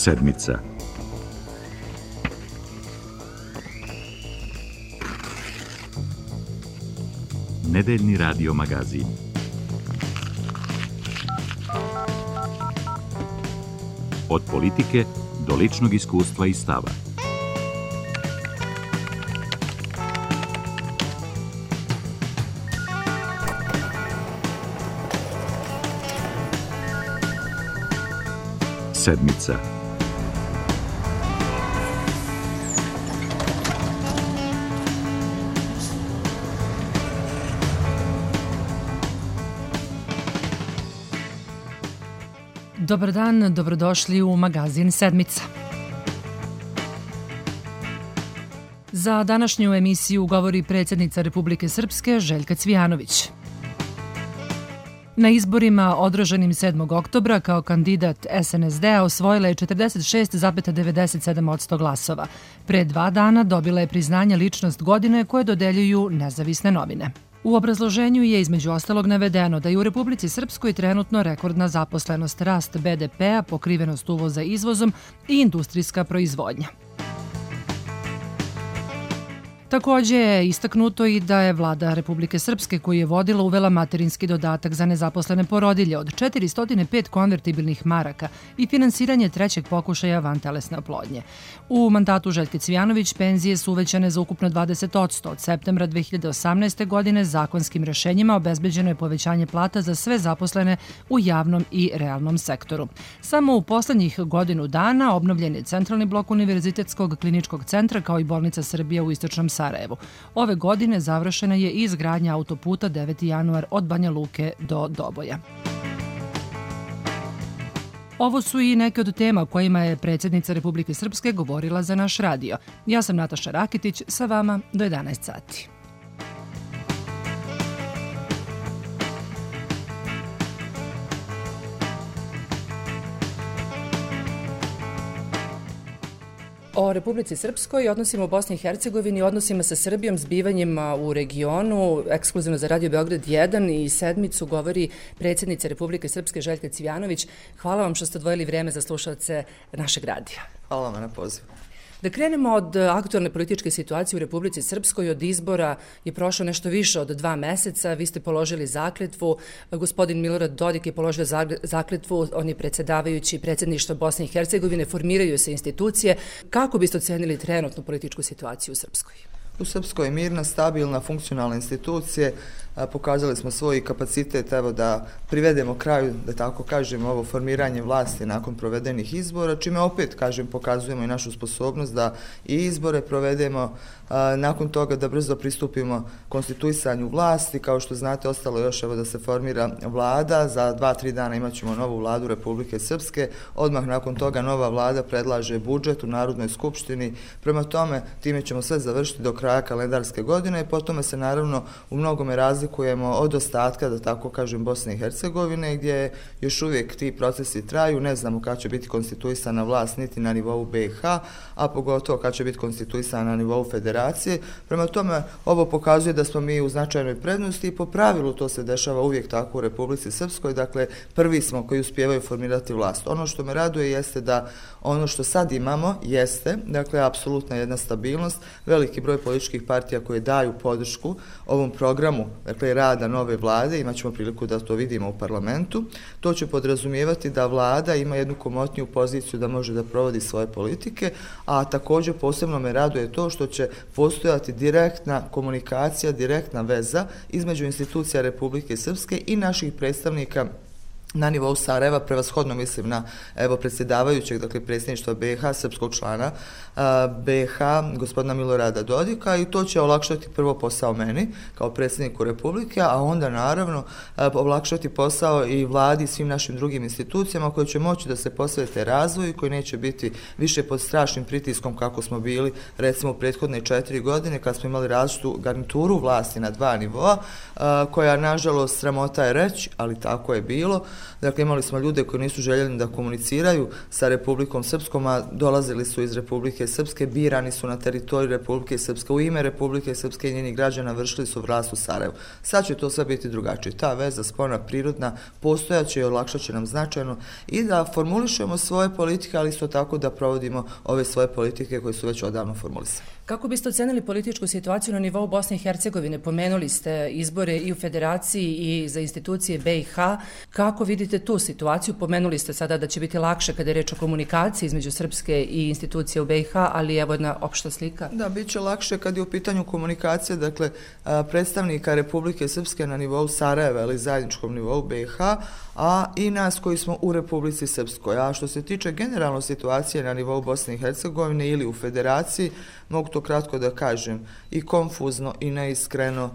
Sedmica. Nedeljni radio magazin. Od politike do ličnog iskustva i stava. Sedmica. Dobar dan, dobrodošli u magazin Sedmica. Za današnju emisiju govori predsjednica Republike Srpske Željka Cvijanović. Na izborima održanim 7. oktobra kao kandidat SNSD-a osvojila je 46,97% glasova. Pre 2 dana dobila je priznanje ličnost godine koje dodeljuju nezavisne novine. U obrazloženju je između ostalog navedeno da je u Republici Srpskoj trenutno rekordna zaposlenost, rast BDP-a, pokrivenost uvoza izvozom i industrijska proizvodnja. Također je istaknuto i da je vlada Republike Srpske koju je vodila uvela materinski dodatak za nezaposlene porodilje od 405 konvertibilnih maraka i finansiranje trećeg pokušaja vantelesne oplodnje. U mandatu Željke Cvijanović penzije su uvećane za ukupno 20%. Od septembra 2018. godine zakonskim rješenjima obezbeđeno je povećanje plata za sve zaposlene u javnom i realnom sektoru. Samo u poslednjih godinu dana obnovljen je centralni blok Univerzitetskog kliničkog centra kao i bolnica Srbije u istočnom Sarajevu. Ove godine završena je i izgradnja autoputa 9. januar od Banja Luke do Doboja. Ovo su i neke od tema kojima je predsjednica Republike Srpske govorila za naš radio. Ja sam Nataša Rakitić, sa vama do 11 sati. O Republici Srpskoj, odnosima u Bosni i Hercegovini, odnosima sa Srbijom, zbivanjima u regionu, ekskluzivno za Radio Beograd 1 i Sedmicu govori predsjednica Republike Srpske Željka Cvijanović. Hvala vam što ste odvojili vrijeme za slušalce našeg radija. Hvala vam na pozivu. Da krenemo od aktualne političke situacije u Republici Srpskoj. Od izbora je prošlo nešto više od 2 meseca. Vi ste položili zakletvu. Gospodin Milorad Dodik je položio zakletvu. On je predsjedavajući predsjedništva Bosne i Hercegovine. Formiraju se institucije. Kako biste ocenili trenutnu političku situaciju u Srpskoj? U Srpskoj je mirna, stabilna, funkcionalna institucije. Pokazali smo svoj kapacitet da privedemo kraju, da tako kažem, ovo formiranje vlasti nakon provedenih izbora, čime opet, kažem, pokazujemo i našu sposobnost da i izbore provedemo, nakon toga da brzo pristupimo konstituisanju vlasti. Kao što znate, ostalo još da se formira vlada. Za 2-3 dana imat ćemo novu vladu Republike Srpske. Odmah nakon toga nova vlada predlaže budžet u Narodnoj skupštini. Prema tome, time ćemo sve završiti do kraja kalendarske godine i potom se naravno u mnogome razlikujemo od ostatka, da tako kažem, Bosne i Hercegovine, gdje još uvijek ti procesi traju. Ne znamo kada će biti konstituisana vlast niti na nivou BiH, a pogotovo kada će biti konstituisana na nivou federacije. Prema tome, ovo pokazuje da smo mi u značajnoj prednosti i po pravilu to se dešava uvijek tako u Republici Srpskoj. Dakle, prvi smo koji uspijevaju formirati vlast. Ono što me raduje jeste da ono što sad imamo jeste, dakle, apsolutna jedna stabilnost, veliki broj političkih partija koje daju podršku ovom programu, dakle, rada nove vlade, imat ćemo priliku da to vidimo u parlamentu. To će podrazumijevati da vlada ima jednu komotniju poziciju da može da provodi svoje politike, a također posebno me raduje to što će postojati direktna komunikacija, direktna veza između institucija Republike Srpske i naših predstavnika na nivou Sarajeva, prevashodno mislim na predsjedavajućeg, dakle predsjedništva BiH, srpskog člana BiH, gospodina Milorada Dodika, i to će olakšati prvo posao meni kao predsjedniku Republike, a onda naravno olakšati posao i vladi i svim našim drugim institucijama koje će moći da se posvete razvoju, koji neće biti više pod strašnim pritiskom kako smo bili recimo u prethodne 4 godine kad smo imali različitu garnituru vlasti na 2 nivoa, koja nažalost sramota je reći, ali tako je bilo, Dakle, imali smo ljude koji nisu željeli da komuniciraju sa Republikom Srpskom, a dolazili su iz Republike Srpske, birani su na teritoriju Republike Srpske, u ime Republike Srpske i njenih građana vršili su vlast u Sarajevu. Sad će to sve biti drugačije. Ta veza spona prirodna postojaće i olakšat će nam značajno i da formulišemo svoje politike, ali isto tako da provodimo ove svoje politike koje su već odavno formulisane. Kako biste ocenili političku situaciju na nivou Bosne i Hercegovine? Pomenuli ste izbore i u Federaciji i za institucije BiH. Kako vidite tu situaciju? Pomenuli ste sada da će biti lakše kada je reč o komunikaciji između Srpske i institucije u BiH, ali evo jedna opšta slika. Da, bit će lakše kad je u pitanju komunikacije, dakle, predstavnika Republike Srpske na nivou Sarajeva ili zajedničkom nivou BiH, a i nas koji smo u Republici Srpskoj. A što se tiče generalno situacije na nivou Bosne i Hercegovine ili u Federaciji, mogu to kratko da kažem, i konfuzno i neiskreno,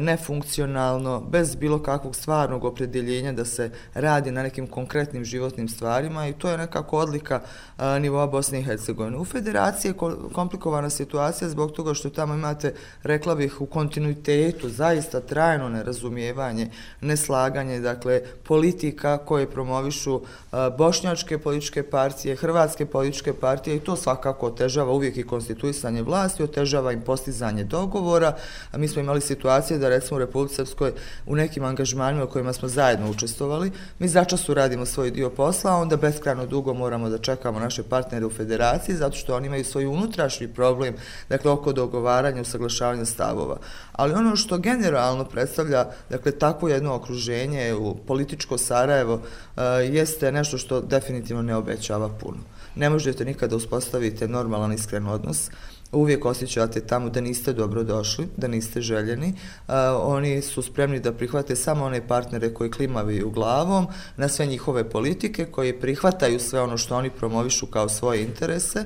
nefunkcionalno, bez bilo kakvog stvarnog opredjeljenja da se radi na nekim konkretnim životnim stvarima i to je nekako odlika nivoa Bosne i Hercegovine. U Federaciji je komplikovana situacija zbog toga što tamo imate, rekla bih, u kontinuitetu zaista trajno nerazumijevanje, neslaganje, dakle, politika koje promovišu bošnjačke političke partije, hrvatske političke partije i to svakako otežava uvijek i konstituisanje vlasti, otežava im postizanje dogovora. A mi smo imali situaciju da recimo u Republici Srpskoj u nekim angažmanima u kojima smo zajedno učestvovali, mi začas uradimo svoj dio posla, a onda beskrajno dugo moramo da čekamo naše partnere u Federaciji zato što oni imaju svoj unutrašnji problem, dakle oko dogovaranja, usaglašavanja stavova. Ali ono što generalno predstavlja, dakle, takvo jedno okruženje u političko Sarajevo jeste nešto što definitivno ne obećava puno. Ne možete nikada uspostaviti normalan, iskren odnos. Uvijek osjećate tamo da niste dobro došli, da niste željeni. Oni su spremni da prihvate samo one partnere koji klimaviju glavom na sve njihove politike, koji prihvataju sve ono što oni promovišu kao svoje interese.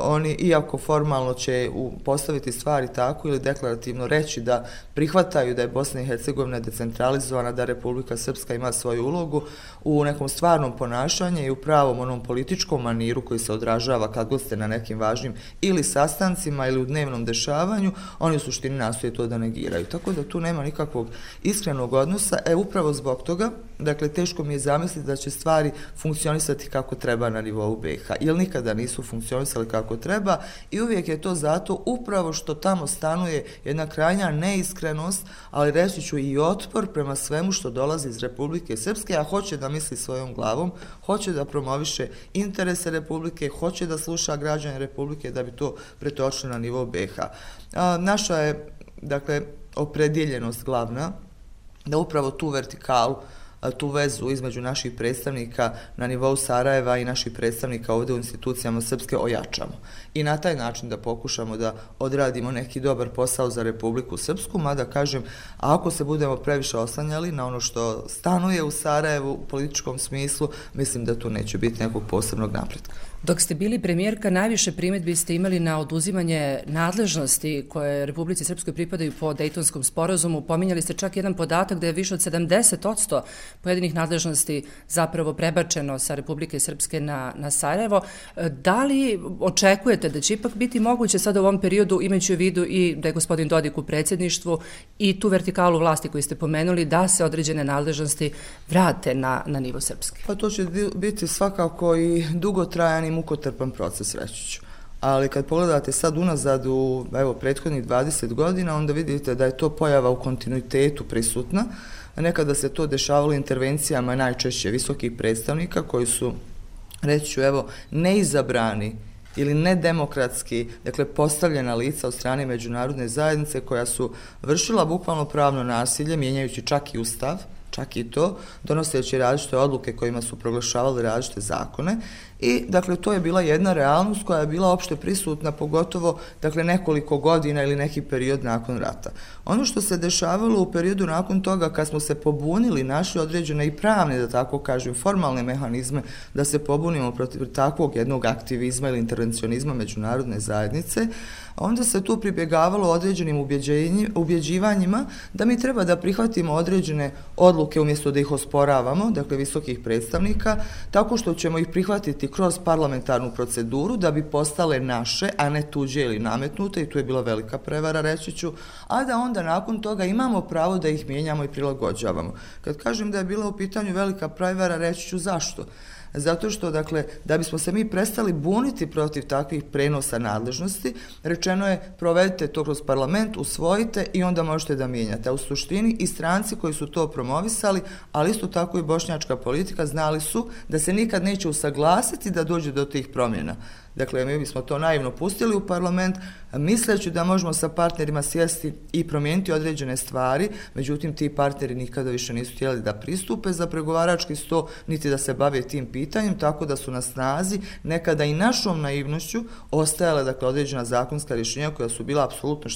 Oni, iako formalno će postaviti stvari tako ili deklarativno reći da prihvataju da je Bosna i Hercegovina decentralizovana, da Republika Srpska ima svoju ulogu, u nekom stvarnom ponašanju i u pravom onom političkom maniru koji se odražava kad god ste na nekim važnim ili sastancima ili u dnevnom dešavanju, oni u suštini nastoje to da negiraju. Tako da tu nema nikakvog iskrenog odnosa. Upravo zbog toga, dakle, teško mi je zamisliti da će stvari funkcionisati kako treba na nivou BiH, jer nikada nisu funkcionisali kako treba i uvijek je to zato upravo što tamo stanuje jedna krajnja neiskrenost, ali reći ću i otpor prema svemu što dolazi iz Republike Srpske, a hoće da misli svojom glavom, hoće da promoviše interese Republike, hoće da sluša građane Republike da bi to pretočili na nivou BiH. Naša je, dakle, opredjeljenost glavna da upravo tu vertikalu, tu vezu između naših predstavnika na nivou Sarajeva i naših predstavnika ovdje u institucijama Srpske ojačamo. I na taj način da pokušamo da odradimo neki dobar posao za Republiku Srpsku, mada kažem, ako se budemo previše oslanjali na ono što stanuje u Sarajevu u političkom smislu, mislim da tu neće biti nekog posebnog napretka. Dok ste bili premijerka, najviše primjedbi ste imali na oduzimanje nadležnosti koje Republici Srpskoj pripadaju po Dejtonskom sporazumu. Pominjali ste čak jedan podatak da je više od 70% pojedinih nadležnosti zapravo prebačeno sa Republike Srpske na Sarajevo. Da li očekujete da će ipak biti moguće sada u ovom periodu, imajući u vidu i da je gospodin Dodik u predsjedništvu i tu vertikalu vlasti koju ste pomenuli, da se određene nadležnosti vrate na nivo Srpske? Pa to će biti svakako i dugotrajan i mukotrpan proces, reći ću. Ali kad pogledate sad unazad u prethodnih 20 godina, onda vidite da je to pojava u kontinuitetu prisutna. Nekada se to dešavalo intervencijama najčešće visokih predstavnika koji su, reći ću, neizabrani ili nedemokratski, dakle, postavljena lica od strane međunarodne zajednice koja su vršila bukvalno pravno nasilje, mijenjajući čak i ustav, čak i to, donoseći različite odluke kojima su proglašavali različite zakone. I, dakle, to je bila jedna realnost koja je bila opšte prisutna, pogotovo, dakle, nekoliko godina ili neki period nakon rata. Ono što se dešavalo u periodu nakon toga, kad smo se pobunili, našli određene i pravne, da tako kažem, formalne mehanizme da se pobunimo protiv takvog jednog aktivizma ili intervencionizma međunarodne zajednice, onda se tu pribjegavalo određenim ubjeđivanjima da mi treba da prihvatimo određene odluke odluke umjesto da ih osporavamo, dakle visokih predstavnika, tako što ćemo ih prihvatiti kroz parlamentarnu proceduru da bi postale naše, a ne tuđe ili nametnute, i tu je bila velika prevara, reći ću, a da onda nakon toga imamo pravo da ih mijenjamo i prilagođavamo. Kad kažem da je bila u pitanju velika prevara, reći ću zašto. Zato što, dakle, da bismo se mi prestali buniti protiv takvih prenosa nadležnosti, rečeno je provedite to kroz parlament, usvojite i onda možete da mijenjate. A u suštini i stranci koji su to promovisali, ali isto tako i bošnjačka politika, znali su da se nikad neće usaglasiti da dođe do tih promjena. Dakle, mi bismo to naivno pustili u parlament, misleći da možemo sa partnerima sjesti i promijeniti određene stvari, međutim ti partneri nikada više nisu htjeli da pristupe za pregovarački sto, niti da se bave tim pitanjem, tako da su na snazi nekada i našom naivnošću ostajale, dakle, određena zakonska rješenja koja su bila apsolutno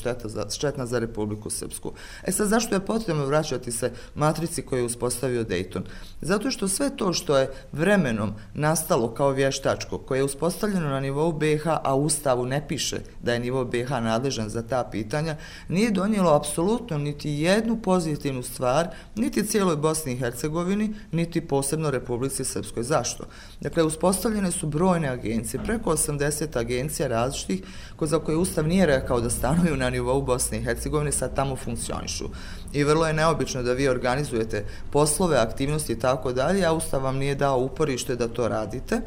štetna za Republiku Srpsku. Sad, zašto je potrebno vraćati se matrici koju je uspostavio Dayton? Zato što sve to što je vremenom nastalo kao vještačko, koje je uspostavljeno na nivou BiH, a u Ustavu ne piše da je nivo BiH nadležan za ta pitanja, nije donijelo apsolutno niti jednu pozitivnu stvar, niti cijeloj Bosni i Hercegovini, niti posebno Republici Srpskoj. Zašto? Dakle, uspostavljene su brojne agencije, preko 80 agencija različitih, za koje Ustav nije rekao da stanuju na nivou Bosne i Hercegovine, sad tamo funkcionišu. I vrlo je neobično da vi organizujete poslove, aktivnosti i tako dalje, a Ustav vam nije dao uporište da to radite.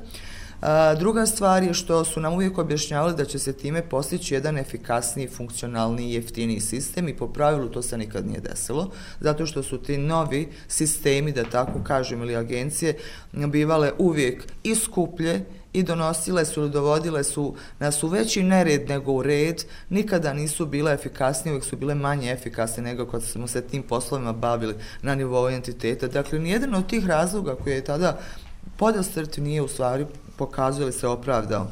Druga stvar je što su nam uvijek objašnjavali da će se time postići jedan efikasniji, funkcionalniji i jeftiniji sistem, i po pravilu to se nikad nije desilo, zato što su ti novi sistemi, da tako kažem, ili agencije, bivale uvijek i skuplje i donosile su ili dovodile su nas u veći nered nego u red, nikada nisu bile efikasnije, uvijek su bile manje efikasne nego kad smo se tim poslovima bavili na nivou entiteta. Dakle, nijedan od tih razloga koji je tada podastrt nije u stvari pokazuje se opravdao.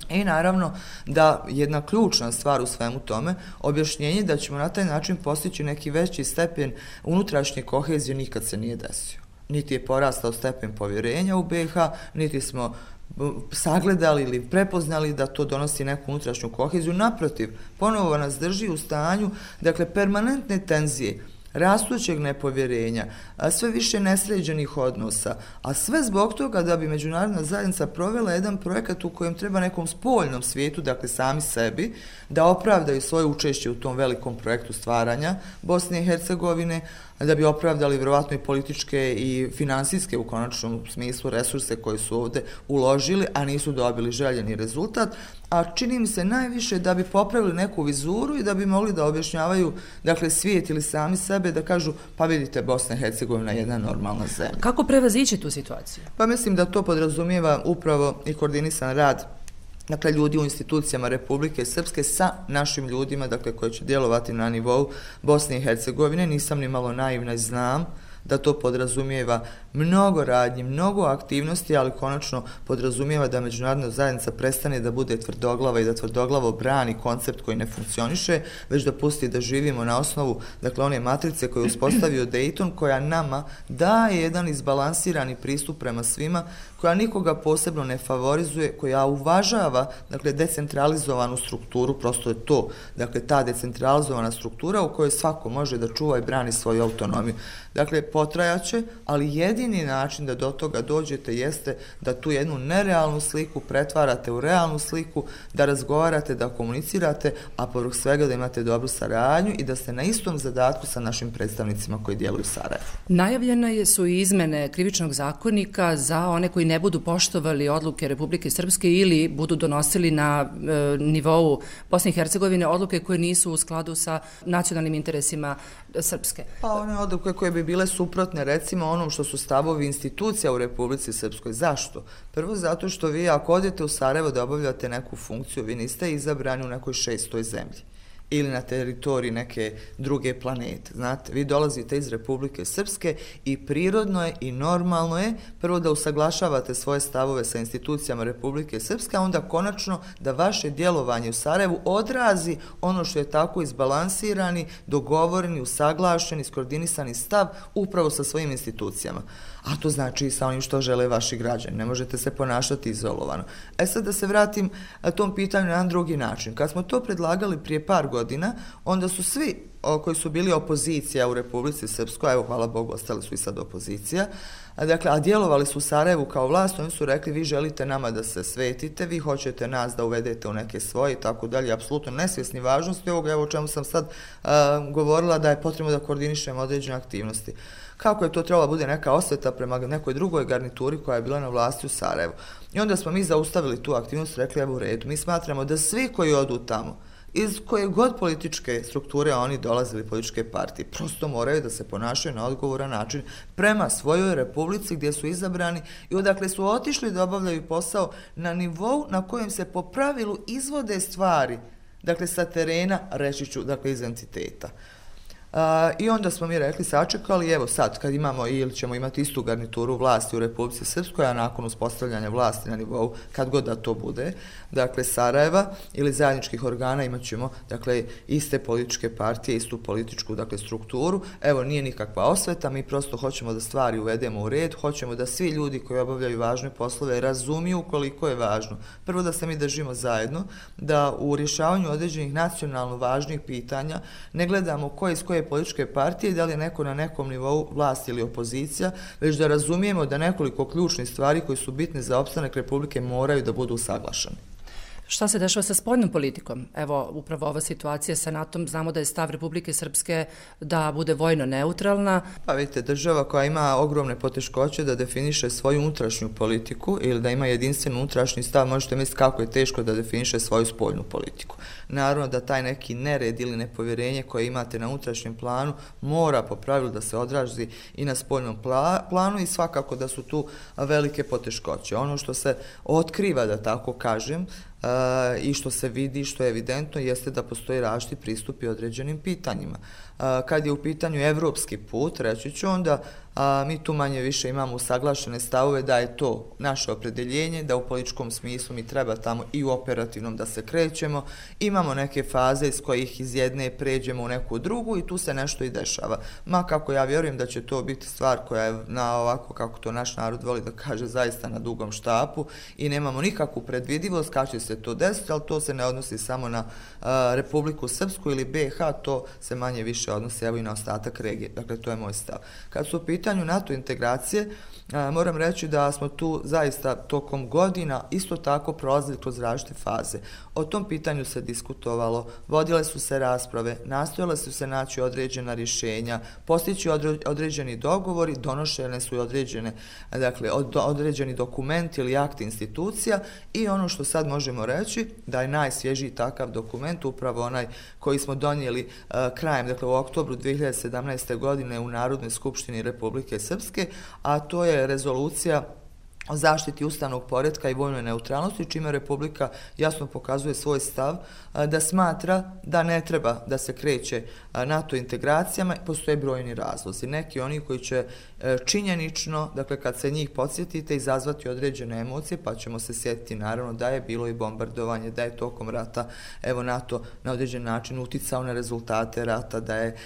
I naravno da jedna ključna stvar u svemu tome, objašnjenje da ćemo na taj način postići neki veći stepen unutrašnje kohezije, nikad se nije desio. Niti je porastao stepen povjerenja u BiH, niti smo sagledali ili prepoznali da to donosi neku unutrašnju koheziju. Naprotiv, ponovo nas drži u stanju, dakle, permanentne tenzije, rastućeg nepovjerenja, sve više nesređenih odnosa, a sve zbog toga da bi međunarodna zajednica provela jedan projekat u kojem treba nekom spoljnom svijetu, dakle sami sebi, da opravdaju svoje učešće u tom velikom projektu stvaranja Bosne i Hercegovine, da bi opravdali vjerovatno i političke i finansijske u konačnom smislu resurse koje su ovdje uložili, a nisu dobili željeni rezultat, a čini mi se najviše da bi popravili neku vizuru i da bi mogli da objašnjavaju, dakle, svijet ili sami sebe, da kažu, pa vidite, Bosna i Hercegovina je jedna normalna zemlja. Kako prevazići tu situaciju? Pa mislim da to podrazumijeva upravo i koordinisan rad, dakle, ljudi u institucijama Republike Srpske sa našim ljudima, dakle, koji će djelovati na nivou Bosne i Hercegovine. Nisam ni malo naivna i znam da to podrazumijeva mnogo radnji, mnogo aktivnosti, ali konačno podrazumijeva da međunarodna zajednica prestane da bude tvrdoglava i da tvrdoglavo brani koncept koji ne funkcioniše, već da pusti da živimo na osnovu, dakle, one matrice koje je uspostavio Dayton, koja nama daje jedan izbalansirani pristup prema svima, koja nikoga posebno ne favorizuje, koja uvažava, dakle, decentralizovanu strukturu, prosto je to, dakle, ta decentralizovana struktura u kojoj svako može da čuva i brani svoju autonomiju. Dakle, potrajaće, ali jedini način da do toga dođete jeste da tu jednu nerealnu sliku pretvarate u realnu sliku, da razgovarate, da komunicirate, a povrh svega da imate dobru saradnju i da ste na istom zadatku sa našim predstavnicima koji djeluju u Sarajevu. Najavljene su i izmene krivičnog zakonika za one koji ne budu poštovali odluke Republike Srpske ili budu donosili na nivou Bosne i Hercegovine odluke koje nisu u skladu sa nacionalnim interesima Srpske. Pa one odluke koje bi bile suprotne, recimo, onom što su stavovi institucija u Republici Srpskoj. Zašto? Prvo zato što vi ako odete u Sarajevo da obavljate neku funkciju, vi niste izabrani u nekoj 600. zemlji ili na teritoriji neke druge planete. Znate, vi dolazite iz Republike Srpske i prirodno je i normalno je prvo da usaglašavate svoje stavove sa institucijama Republike Srpske, a onda konačno da vaše djelovanje u Sarajevu odrazi ono što je tako izbalansirani, dogovoreni, usaglašeni, iskoordinisani stav upravo sa svojim institucijama. A to znači i sa onim što žele vaši građani. Ne možete se ponašati izolovano. Sad da se vratim tom pitanju na jedan drugi način. Kad smo to predlagali prije par godina, onda su svi koji su bili opozicija u Republici Srpskoj, evo hvala Bogu ostali su i sad opozicija, dakle, a djelovali su u Sarajevu kao vlast, oni su rekli vi želite nama da se svetite, vi hoćete nas da uvedete u neke svoje i tako dalje, apsolutno nesvjesni važnosti ovoga, evo o čemu sam sad govorila da je potrebno da koordinišemo određene aktivnosti. Kako je to trebalo bude neka osveta prema nekoj drugoj garnituri koja je bila na vlasti u Sarajevu. I onda smo mi zaustavili tu aktivnost, rekli evo u redu, mi smatramo da svi koji odu tamo, iz koje god političke strukture oni dolazili, političke partije, prosto moraju da se ponašaju na odgovoran način prema svojoj republici gdje su izabrani i odakle su otišli da obavljaju posao na nivou na kojem se po pravilu izvode stvari, dakle sa terena, reći ću, dakle iz entiteta. I onda smo mi rekli, sačekali, evo sad kad imamo ili ćemo imati istu garnituru vlasti u Republici Srpskoj, a nakon uspostavljanja vlasti na nivou, kad god da to bude, dakle Sarajeva ili zajedničkih organa imat ćemo, dakle, iste političke partije, istu političku, dakle, strukturu. Evo, nije nikakva osveta, mi prosto hoćemo da stvari uvedemo u red, hoćemo da svi ljudi koji obavljaju važne poslove razumiju koliko je važno. Prvo da se mi držimo zajedno, da u rješavanju određenih nacionalno važnih pitanja ne gledamo ko iz koje političke partije, da li je neko na nekom nivou vlasti ili opozicija, već da razumijemo da nekoliko ključnih stvari koji su bitne za opstanak Republike moraju da budu usaglašeni. Šta se dešava sa spoljnom politikom? Evo, upravo ova situacija sa NATO-om, znamo da je stav Republike Srpske da bude vojno neutralna. Pa vidite, država koja ima ogromne poteškoće da definiše svoju unutrašnju politiku ili da ima jedinstven unutrašnji stav, možete misliti kako je teško da definiše svoju spoljnu politiku. Naravno da taj neki nered ili nepovjerenje koje imate na unutrašnjem planu mora po pravilu da se odrazi i na spoljnom planu i svakako da su tu velike poteškoće. Ono što se otkriva, da tako kažem, i što se vidi, što je evidentno, jeste da postoji različiti pristupi određenim pitanjima. Kad je u pitanju evropski put, reći ću onda, mi tu manje više imamo usaglašene stavove da je to naše opredjeljenje, da u političkom smislu mi treba tamo i u operativnom da se krećemo, imamo neke faze iz kojih iz jedne pređemo u neku drugu i tu se nešto i dešava. Ma kako ja vjerujem da će to biti stvar koja je na ovako, kako to naš narod voli da kaže, zaista na dugom štapu i nemamo nikakvu predvidivost kad će se to desiti, ali to se ne odnosi samo na Republiku Srpsku ili BiH, to se manje više odnosi evo i na ostatak regije. Dakle, to je moj stav. Kad su u pitanju NATO integracije, moram reći da smo tu zaista tokom godina isto tako prolazili kroz različite faze. O tom pitanju se diskutovalo, vodile su se rasprave, nastojale su se naći određena rješenja, postići određeni dogovori, donošene su i određeni dokumenti ili akti institucija i ono što sad možemo reći da je najsvježiji takav dokument upravo onaj koji smo donijeli krajem, dakle u oktobru 2017. godine u Narodnoj skupštini Republike Srpske, a to je rezolucija o zaštiti ustavnog poretka i vojnoj neutralnosti, čime Republika jasno pokazuje svoj stav da smatra da ne treba da se kreće NATO integracijama, postoje brojni razlozi. Neki oni koji će činjenično, dakle kad se njih podsjetite, izazvati određene emocije, pa ćemo se sjetiti naravno da je bilo i bombardovanje, da je tokom rata evo NATO na određen način uticao na rezultate rata, da je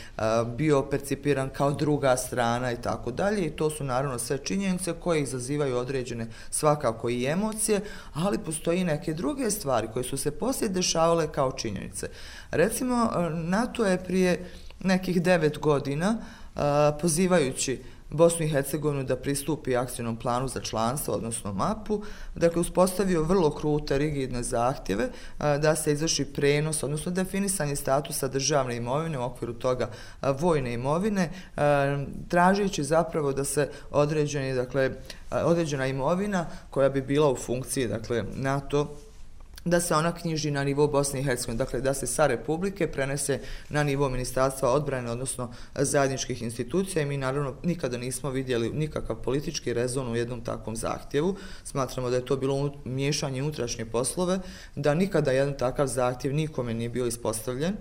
bio percipiran kao druga strana i tako dalje i to su naravno sve činjenice koje izazivaju određene svakako i emocije, ali postoji i neke druge stvari koje su se poslije dešavale kao činjenice. Recimo, NATO je prije nekih 9 godina pozivajući Bosnu i Hercegovinu da pristupi akcijnom planu za članstvo, odnosno mapu, dakle uspostavio vrlo krute, rigidne zahtjeve da se izvrši prenos, odnosno definisanje statusa državne imovine u okviru toga vojne imovine, tražeći zapravo da se određena imovina koja bi bila u funkciji, dakle NATO, da se ona knjiži na nivou Bosne i Hercegovine, dakle da se sa Republike prenese na nivo Ministarstva odbrane, odnosno zajedničkih institucija i mi naravno nikada nismo vidjeli nikakav politički rezon u jednom takvom zahtjevu. Smatramo da je to bilo miješanje unutrašnje poslove, da nikada jedan takav zahtjev nikome nije bio ispostavljen.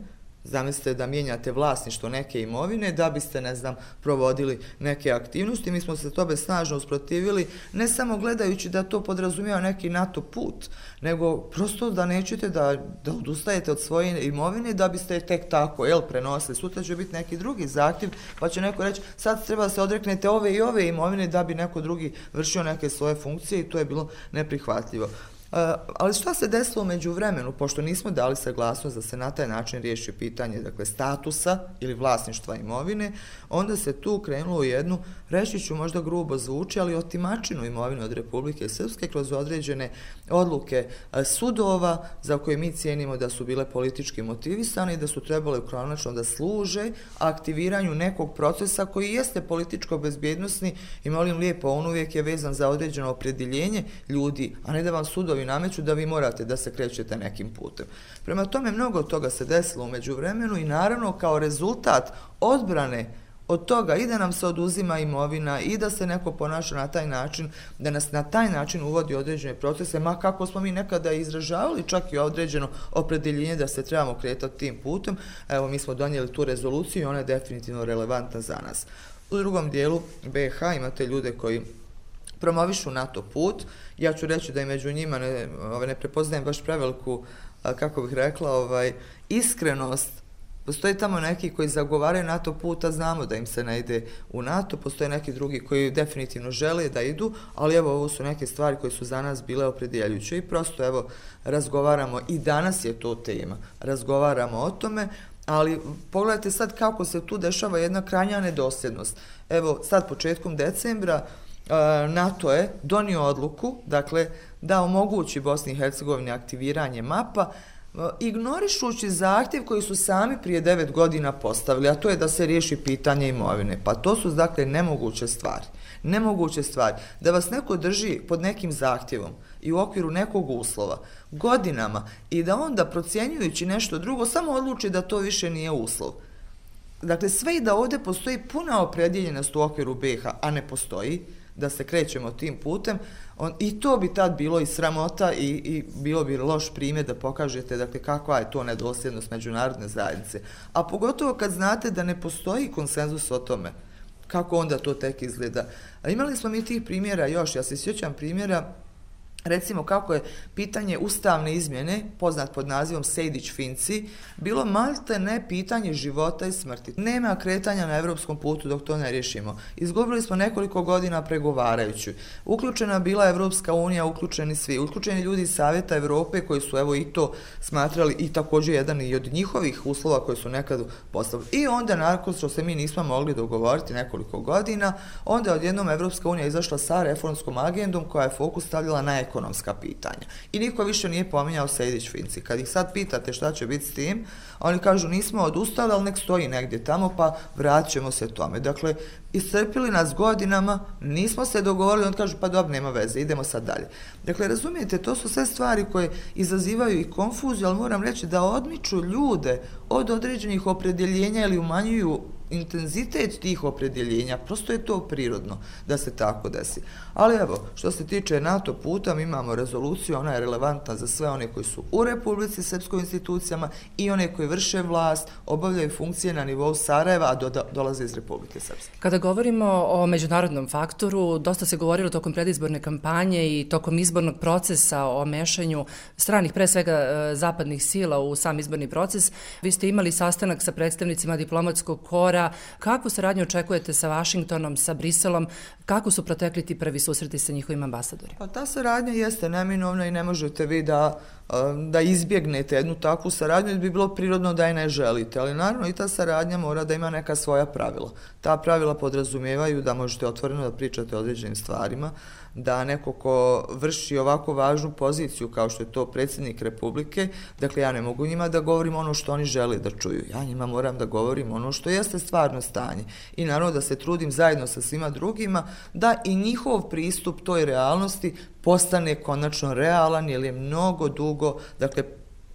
Zamislite da mijenjate vlasništvo neke imovine da biste, ne znam, provodili neke aktivnosti. Mi smo se tome snažno usprotivili, ne samo gledajući da to podrazumijeva neki NATO put, nego prosto da nećete da odustajete od svoje imovine da biste tek tako prenosili. Sutra će biti neki drugi zahtjev, pa će neko reći sad treba se odreknete ove i ove imovine da bi neko drugi vršio neke svoje funkcije i to je bilo neprihvatljivo. Ali šta se desilo u međuvremenu, pošto nismo dali saglasnost da se na taj način riješi pitanje, dakle, statusa ili vlasništva imovine, onda se tu krenulo u jednu, reći ću možda grubo zvuči, ali otimačinu imovine od Republike Srpske kroz određene odluke sudova za koje mi cijenimo da su bile politički motivisane i da su trebale konačno da služe aktiviranju nekog procesa koji jeste političko-bezbjednosni i molim lijepo, on uvijek je vezan za određeno opredjeljenje ljudi, a ne da vam sudovi nameću da vi morate da se krećete nekim putem. Prema tome, mnogo toga se desilo u međuvremenu i naravno kao rezultat odbrane od toga i da nam se oduzima imovina i da se neko ponaša na taj način, da nas na taj način uvodi određene procese, ma kako smo mi nekada izražavali čak i određeno opredjeljenje da se trebamo kretati tim putem, evo mi smo donijeli tu rezoluciju i ona je definitivno relevantna za nas. U drugom dijelu BiH imate ljude koji promovišu NATO put, ja ću reći da i među njima ne prepoznajem baš preveliku, kako bih rekla, iskrenost. Postoje tamo neki koji zagovaraju NATO put, a znamo da im se ne ide u NATO, postoje neki drugi koji definitivno žele da idu, ali evo ovo su neke stvari koje su za nas bile opredjeljujuće i prosto evo razgovaramo i danas je to tema, razgovaramo o tome, ali pogledajte sad kako se tu dešava jedna krajnja nedosljednost. Evo sad početkom decembra NATO je donio odluku, dakle, da omogući Bosni i Hercegovini aktiviranje mapa, ignorišući zahtjev koji su sami prije 9 godina postavili, a to je da se riješi pitanje imovine. Pa to su, dakle, nemoguće stvari. Nemoguće stvari. Da vas neko drži pod nekim zahtjevom i u okviru nekog uslova godinama i da onda procjenjujući nešto drugo samo odluči da to više nije uslov. Dakle, sve i da ovdje postoji puna opredjeljenost u okviru BiH, a ne postoji, da se krećemo tim putem, i to bi tad bilo i sramota i bilo bi loš primjer da pokažete, dakle, kakva je to nedosljednost međunarodne zajednice. A pogotovo kad znate da ne postoji konsenzus o tome, kako onda to tek izgleda. A imali smo mi tih primjera još, ja se sjećam primjera, recimo kako je pitanje ustavne izmjene, poznat pod nazivom Sejdić-Finci, bilo malte ne pitanje života i smrti. Nema kretanja na evropskom putu dok to ne riješimo. Izgubili smo nekoliko godina pregovarajući. Uključena bila Evropska unija, uključeni svi. Uključeni ljudi iz Savjeta Evrope koji su evo i to smatrali i također jedan i od njihovih uslova koji su nekad postavili. I onda nakon što se mi nismo mogli dogovoriti nekoliko godina, onda je odjednom Evropska unija izašla sa reformskom agendom koja je fokus stavljala na ekonomska pitanja. I niko više nije pominjao Sejdić-Finci. Kad ih sad pitate šta će biti s tim, oni kažu nismo odustali, ali nek stoji negdje tamo, pa vraćamo se tome. Dakle, iscrpili nas godinama, nismo se dogovorili, on kažu pa dobro, nema veze, idemo sad dalje. Dakle, razumijete, to su sve stvari koje izazivaju i konfuziju, ali moram reći da odmiču ljude od određenih opredjeljenja ili umanjuju intenzitet tih opredjeljenja, prosto je to prirodno da se tako desi. Ali evo, što se tiče NATO puta, mi imamo rezoluciju, ona je relevantna za sve one koji su u Republici Srpskoj institucijama i one koji vrše vlast, obavljaju funkcije na nivou Sarajeva, a dolaze iz Republike Srpske. Kada govorimo o međunarodnom faktoru, dosta se govorilo tokom predizborne kampanje i tokom izbornog procesa o mešanju stranih, pre svega zapadnih sila u sam izborni proces. Vi ste imali sastanak sa predstavnicima diplomatskog kora. Kakvu saradnju očekujete sa Vašingtonom, sa Briselom? Kako su protekli ti prvi susreti sa njihovim ambasadorima? Pa ta saradnja jeste neminovna i ne možete vi da izbjegnete jednu takvu saradnju, jer bi bilo prirodno da je ne želite, ali naravno i ta saradnja mora da ima neka svoja pravila. Ta pravila podrazumijevaju da možete otvoreno da pričate o određenim stvarima, da neko ko vrši ovako važnu poziciju kao što je to predsjednik Republike, dakle ja ne mogu njima da govorim ono što oni žele da čuju, ja njima moram da govorim ono što jeste stvarno stanje i naravno da se trudim zajedno sa svima drugima da i njihov pristup toj realnosti postane konačno realan, jer je mnogo dugo, dakle,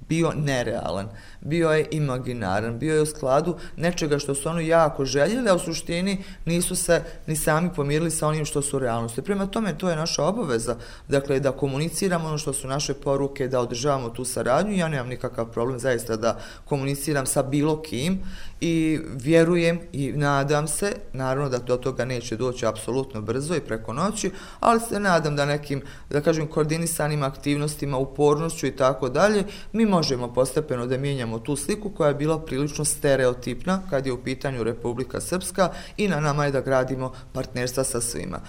bio nerealan, bio je imaginaran, bio je u skladu nečega što su oni jako željeli, a u suštini nisu se ni sami pomirili sa onim što su realnosti. Prema tome, to je naša obaveza, dakle, da komuniciramo ono što su naše poruke, da održavamo tu saradnju. Ja nemam nikakav problem zaista da komuniciram sa bilo kim i vjerujem i nadam se, naravno da do toga neće doći apsolutno brzo i preko noći, ali se nadam da nekim, da kažem, koordinisanim aktivnostima, upornošću i tako dalje, mi možemo postepeno da mijenjamo tu sliku koja je bila prilično stereotipna kad je u pitanju Republika Srpska i na nama je da gradimo partnerstva sa svima.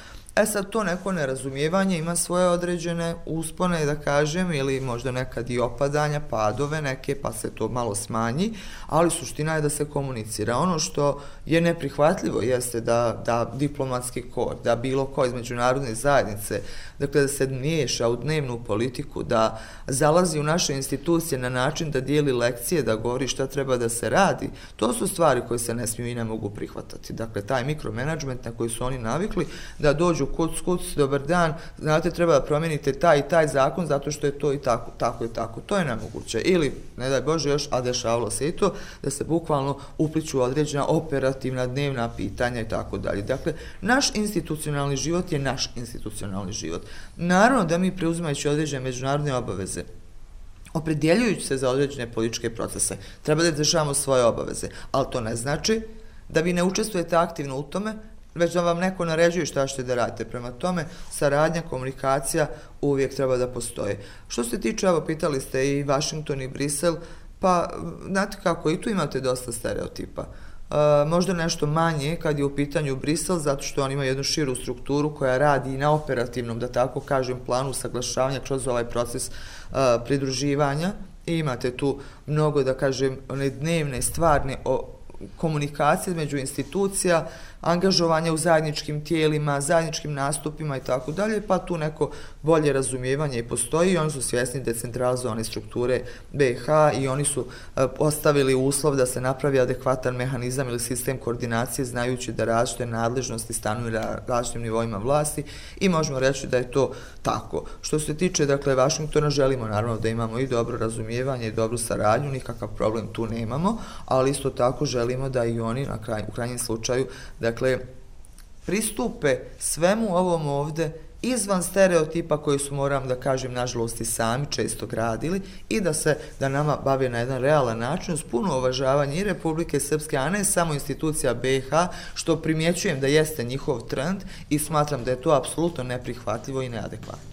Sad to neko nerazumijevanje ima svoje određene uspone, da kažem, ili možda nekad i opadanja, padove neke, pa se to malo smanji, ali suština je da se komunicira. Ono što je neprihvatljivo jeste da diplomatski kor, da bilo ko iz međunarodne zajednice, dakle da se miješa u dnevnu politiku, da zalazi u naše institucije na način da dijeli lekcije, da govori šta treba da se radi, to su stvari koje se ne smiju i ne mogu prihvatati. Dakle, taj mikromenadžment na koji su oni navikli, da dođu kuc, dobar dan, znate, treba da promijenite taj i taj zakon zato što je to i tako i tako. To je nemoguće. Ili, ne daj Bože još, a dešavalo se i to, da se bukvalno upliču određena operativna dnevna pitanja i tako dalje. Dakle, naš institucionalni život je naš institucionalni život. Naravno da mi preuzimajući određene međunarodne obaveze, opredjeljujući se za određene političke procese, treba da izvršavamo svoje obaveze, ali to ne znači da vi ne učestvujete aktivno u tome, već da vam neko naređuje šta ćete da radite. Prema tome, saradnja, komunikacija uvijek treba da postoje. Što se tiče, evo, pitali ste i Vašington i Brisel, pa, znate kako, i tu imate dosta stereotipa. Možda nešto manje kad je u pitanju Brisel, zato što on ima jednu širu strukturu koja radi i na operativnom, da tako kažem, planu saglašavanja kroz ovaj proces pridruživanja i imate tu mnogo, da kažem, one dnevne, stvarne komunikacije među institucija, angažovanje u zajedničkim tijelima, zajedničkim nastupima i tako dalje, pa tu neko bolje razumijevanje i postoji i oni su svjesni decentralizovane strukture BiH i oni su postavili uslov da se napravi adekvatan mehanizam ili sistem koordinacije znajući da različite nadležnosti stanuju na različitim nivoima vlasti i možemo reći da je to tako. Što se tiče, dakle, Vašingtona, želimo naravno da imamo i dobro razumijevanje i dobru saradnju, nikakav problem tu nemamo, ali isto tako želimo da i oni u krajnjem slučaju, dakle, pristupe svemu ovom ovde izvan stereotipa koji su, moram da kažem, nažalost i sami često gradili i da nama bave na jedan realan način uz puno uvažavanje i Republike Srpske, a ne samo institucija BiH, što primjećujem da jeste njihov trend i smatram da je to apsolutno neprihvatljivo i neadekvatno.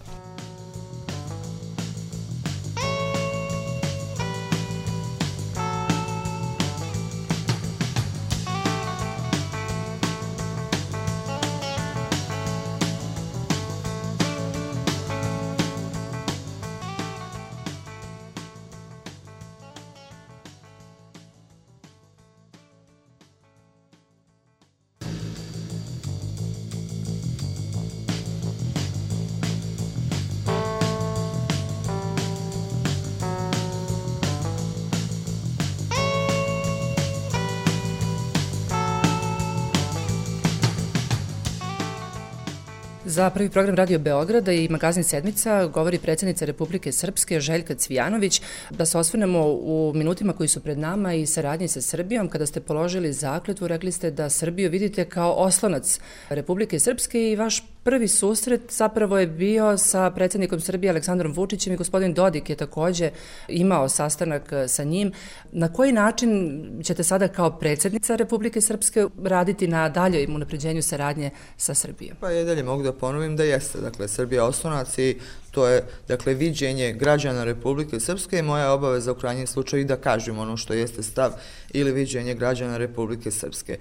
Za Prvi program Radio Beograda i magazin Sedmica govori predsjednica Republike Srpske Željka Cvijanović. Da se osvrnemo u minutima koji su pred nama i saradnji sa Srbijom. Kada ste položili zakletvu, rekli ste da Srbiju vidite kao oslonac Republike Srpske i vaš prvi susret zapravo je bio sa predsjednikom Srbije Aleksandrom Vučićem i gospodin Dodik je također imao sastanak sa njim. Na koji način ćete sada kao predsjednica Republike Srpske raditi na daljem unapređenju saradnje sa Srbijom? Pa i dalje mogu da ponovim da jeste, dakle, Srbija oslonac i to je, dakle, viđenje građana Republike Srpske i moja obaveza u krajnjem slučaju da kažem ono što jeste stav ili viđenje građana Republike Srpske.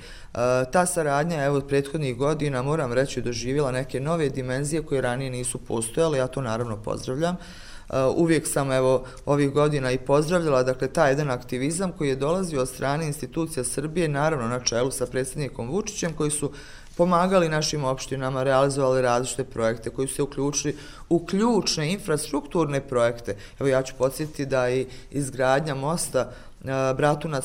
Ta saradnja, evo, od prethodnih godina, moram reći, doživjela neke nove dimenzije koje ranije nisu postojale, ja to naravno pozdravljam. Uvijek sam, evo, ovih godina i pozdravljala, dakle, taj jedan aktivizam koji je dolazio od strane institucija Srbije, naravno na čelu sa predsjednikom Vučićem, koji su pomagali našim opštinama, realizovali različite projekte koji su se uključili u ključne infrastrukturne projekte. Evo, ja ću podsjetiti da i izgradnja mosta Bratunac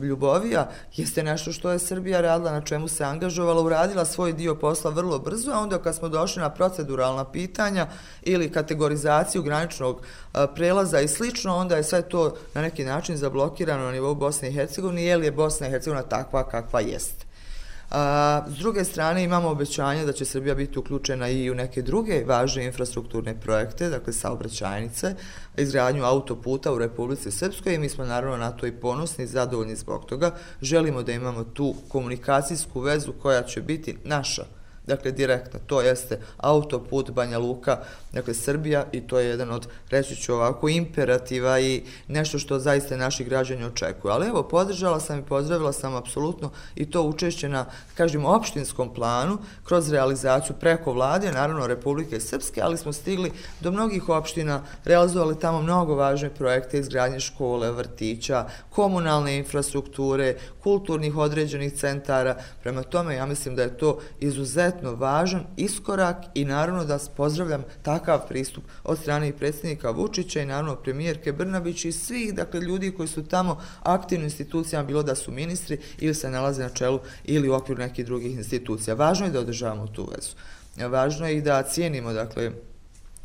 Ljubovija jeste nešto što je Srbija radila, na čemu se angažovala, uradila svoj dio posla vrlo brzo, a onda kad smo došli na proceduralna pitanja ili kategorizaciju graničnog prelaza i slično, onda je sve to na neki način zablokirano na nivou Bosne i Hercegovine, jer je Bosna i Hercegovina takva kakva jeste. S druge strane imamo obećanje da će Srbija biti uključena i u neke druge važne infrastrukturne projekte, dakle saobraćajnice, izgradnju autoputa u Republici Srpskoj i mi smo naravno na to i ponosni i zadovoljni zbog toga. Želimo da imamo tu komunikacijsku vezu koja će biti naša, dakle direktno, to jeste autoput Banja Luka, dakle Srbija, i to je jedan od, reći ću ovako, imperativa i nešto što zaista naši građani očekuju. Ali evo, podržala sam i pozdravila sam apsolutno i to učešće na, kažem, opštinskom planu, kroz realizaciju preko vlade, naravno Republike Srpske, ali smo stigli do mnogih opština, realizovali tamo mnogo važne projekte, izgradnje škole, vrtića, komunalne infrastrukture, kulturnih određenih centara. Prema tome, ja mislim da je to izuzetno važan iskorak i naravno da pozdravljam takav pristup od strane i predsjednika Vučića i naravno premijerke Brnabić i svih, dakle, ljudi koji su tamo aktivni u institucijama, bilo da su ministri ili se nalaze na čelu ili u okviru nekih drugih institucija. Važno je da održavamo tu vezu. Važno je i da cijenimo, dakle,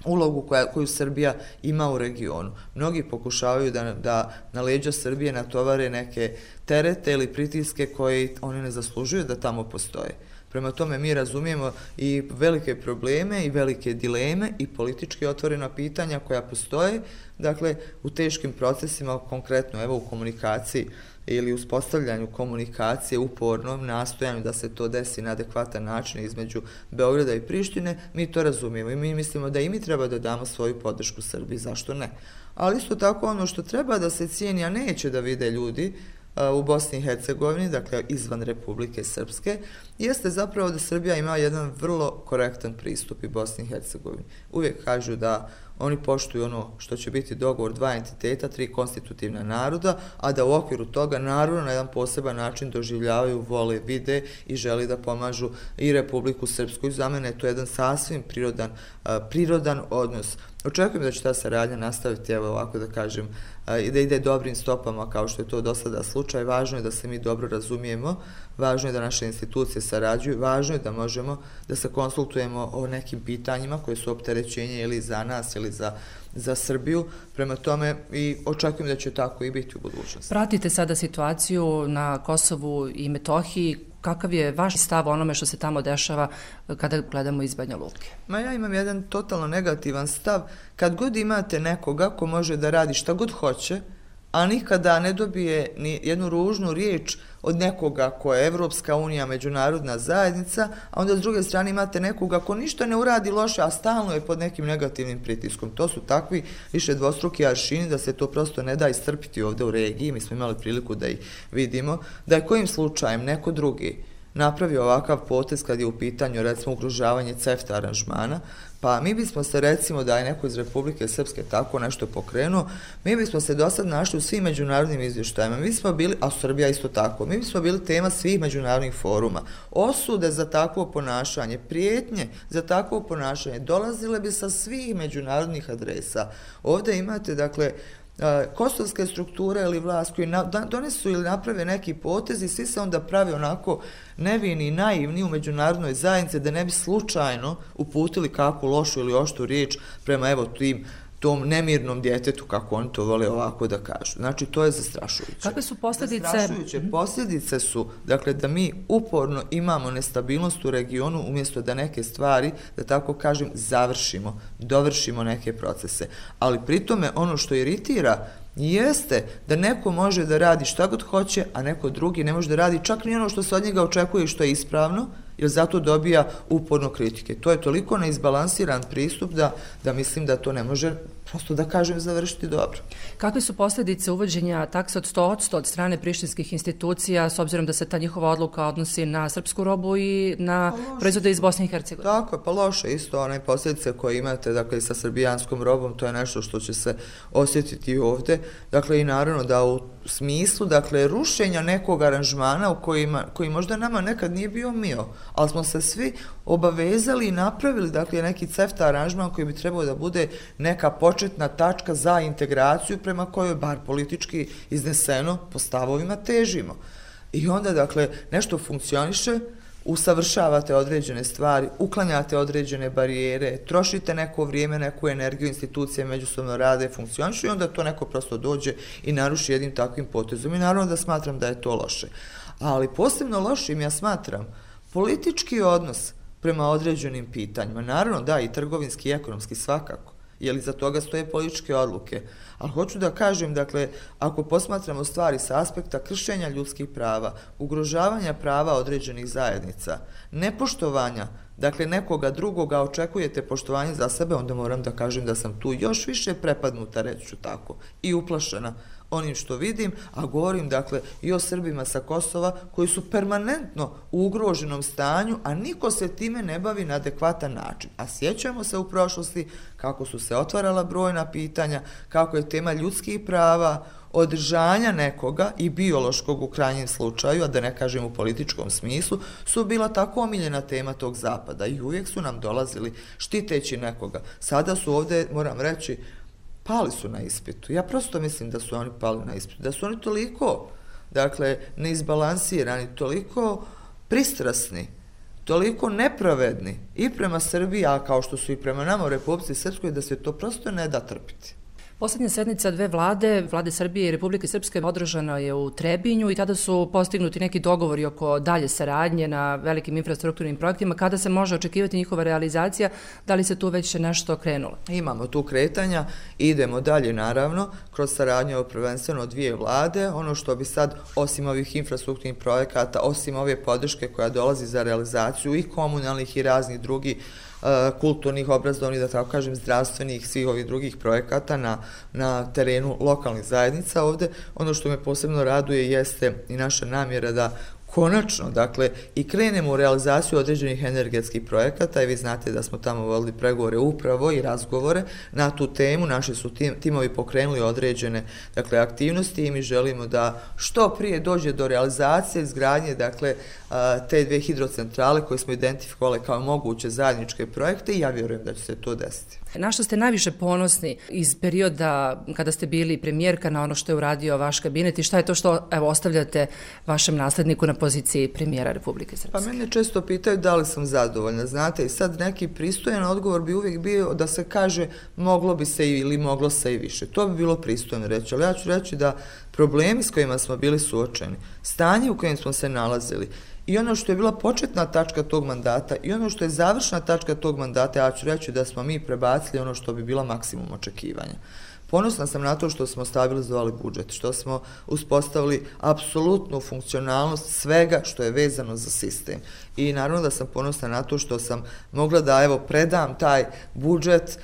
ulogu koju Srbija ima u regionu. Mnogi pokušavaju da na leđa Srbije natovare neke terete ili pritiske koje oni ne zaslužuju da tamo postoje. Prema tome mi razumijemo i velike probleme i velike dileme i politički otvorena pitanja koja postoje, dakle, u teškim procesima, konkretno evo u komunikaciji ili uspostavljanju komunikacije, upornom nastojanju da se to desi na adekvatan način između Beograda i Prištine, mi to razumijemo i mi mislimo da i mi treba da damo svoju podršku Srbiji, zašto ne? Ali isto tako ono što treba da se cijeni, a neće da vide ljudi u Bosni i Hercegovini, dakle izvan Republike Srpske, jeste zapravo da Srbija ima jedan vrlo korektan pristup i Bosni i Hercegovini. Uvijek kažu da oni poštuju ono što će biti dogovor dva entiteta, tri konstitutivna naroda, a da u okviru toga naravno na jedan poseban način doživljavaju, vole, vide i želi da pomažu i Republiku Srpsku. I za mene je to jedan sasvim prirodan odnos. Očekujem da će ta saradnja nastaviti, evo ovako da kažem, i da ide dobrim stopama kao što je to do sada slučaj. Važno je da se mi dobro razumijemo, važno je da naše institucije sarađuju, važno je da možemo da se konsultujemo o nekim pitanjima koje su opterećenje ili za nas ili za Srbiju. Prema tome i očekujem da će tako i biti u budućnosti. Pratite sada situaciju na Kosovu i Metohiji. Kakav je vaš stav o onome što se tamo dešava kada gledamo iz Banja Luke? Ja imam jedan totalno negativan stav. Kad god imate nekoga ko može da radi šta god hoće, a nikada ne dobije ni jednu ružnu riječ od nekoga ko je Evropska unija, međunarodna zajednica, a onda s druge strane imate nekoga ko ništa ne uradi loše, a stalno je pod nekim negativnim pritiskom. To su takvi više dvostruki aršini da se to prosto ne da istrpiti ovdje u regiji. Mi smo imali priliku da ih vidimo, da je kojim slučajem neko drugi napravio ovakav potez kad je u pitanju recimo ugrožavanje CEFTA aranžmana, pa mi bismo se recimo da je neko iz Republike Srpske tako nešto pokrenuo, mi bismo se do sad našli u svim međunarodnim izvještajima, mi smo bili, a Srbija isto tako, mi bismo bili tema svih međunarodnih foruma, osude za takvo ponašanje, prijetnje za takvo ponašanje, dolazile bi sa svih međunarodnih adresa. Ovdje imate, dakle, kosovske strukture ili vlast koji donesu ili naprave neki potez i svi se onda prave onako nevini i naivni u međunarodnoj zajednici da ne bi slučajno uputili kakvu lošu ili oštru riječ prema evo tom nemirnom djetetu, kako oni to vole ovako da kažu. Znači, to je zastrašujuće. Kakve su posljedice? Zastrašujuće posljedice su, dakle, da mi uporno imamo nestabilnost u regionu umjesto da neke stvari, da tako kažem, završimo, dovršimo neke procese. Ali pritome ono što iritira jeste da neko može da radi šta god hoće, a neko drugi ne može da radi čak ni ono što se od njega očekuje i što je ispravno, jer zato dobija uporno kritike. To je toliko neizbalansiran pristup da mislim da to ne može, prosto da kažem, završiti dobro. Kakve su posljedice uvođenja takse od 100% od strane prištinskih institucija, s obzirom da se ta njihova odluka odnosi na srpsku robu i na proizvode iz Bosne i Hercegovine? Tako je, pa loše isto one posljedice koje imate, dakle, sa srbijanskom robom, to je nešto što će se osjetiti ovdje. Dakle, i naravno da u smislu, dakle, rušenja nekog aranžmana koji možda nama nekad nije bio mio, ali smo se svi obavezali i napravili, dakle, neki CEFTA aranžman koji bi trebao da bude neka početna tačka za integraciju prema kojoj, bar politički izneseno, po stavovima težimo. I onda, dakle, nešto funkcioniše, usavršavate određene stvari, uklanjate određene barijere, trošite neko vrijeme, neku energiju, institucije međusobno rade, funkcionišu i onda to neko prosto dođe i naruši jednim takvim potezom. I naravno da smatram da je to loše. Ali posebno lošim ja smatram politički odnos prema određenim pitanjima. Naravno da, i trgovinski i ekonomski svakako, jer iza toga stoje političke odluke. Ali hoću da kažem, dakle, ako posmatramo stvari sa aspekta kršenja ljudskih prava, ugrožavanja prava određenih zajednica, nepoštovanja dakle nekoga drugoga očekujete poštovanje za sebe, onda moram da kažem da sam tu još više prepadnuta, reći ću tako, i uplašena onim što vidim, a govorim dakle i o Srbima sa Kosova koji su permanentno u ugroženom stanju, a niko se time ne bavi na adekvatan način. A sjećamo se u prošlosti kako su se otvarala brojna pitanja, kako je tema ljudskih prava, održanja nekoga i biološkog u krajnjem slučaju, a da ne kažem u političkom smislu, su bila tako omiljena tema tog zapada i uvijek su nam dolazili štiteći nekoga. Sada su ovdje, moram reći, pali su na ispitu. Ja prosto mislim da su oni pali na ispitu. Da su oni toliko, dakle, neizbalansirani, toliko pristrasni, toliko nepravedni i prema Srbiji, a kao što su i prema nama u Republici Srpskoj, da se to prosto ne da trpiti. Poslednja sednica dve vlade Srbije i Republike Srpske, održana je u Trebinju i tada su postignuti neki dogovori oko dalje saradnje na velikim infrastrukturnim projektima. Kada se može očekivati njihova realizacija? Da li se tu već nešto krenulo? Imamo tu kretanja, idemo dalje naravno, kroz saradnju prvenstveno dvije vlade. Ono što bi sad, osim ovih infrastrukturnih projekata, osim ove podrške koja dolazi za realizaciju i komunalnih i raznih drugih kulturnih, obrazovnih, da tako kažem, zdravstvenih, svih ovih drugih projekata na terenu lokalnih zajednica ovde. Ono što me posebno raduje jeste i naša namjera da konačno, dakle, i krenemo u realizaciju određenih energetskih projekata i vi znate da smo tamo vodili pregovore upravo i razgovore na tu temu. Naši su timovi pokrenuli određene, dakle, aktivnosti i mi želimo da što prije dođe do realizacije izgradnje, dakle, te dve hidrocentrale koje smo identifikovali kao moguće zajedničke projekte i ja vjerujem da će se to desiti. Na što ste najviše ponosni iz perioda kada ste bili premijerka, na ono što je uradio vaš kabinet i šta je to što ostavljate vašem nasledniku na poziciji premijera Republike Srpske? Pa mene često pitaju da li sam zadovoljna, znate, i sad neki pristojan odgovor bi uvijek bio da se kaže moglo bi se ili moglo se i više. To bi bilo pristojno reći, ali ja ću reći da problemi s kojima smo bili suočeni, stanje u kojem smo se nalazili, i ono što je bila početna tačka tog mandata i ono što je završna tačka tog mandata, ja ću reći da smo mi prebacili ono što bi bila maksimum očekivanja. Ponosna sam na to što smo stabilizovali budžet, što smo uspostavili apsolutnu funkcionalnost svega što je vezano za sistem. I naravno da sam ponosna na to što sam mogla da predam taj budžet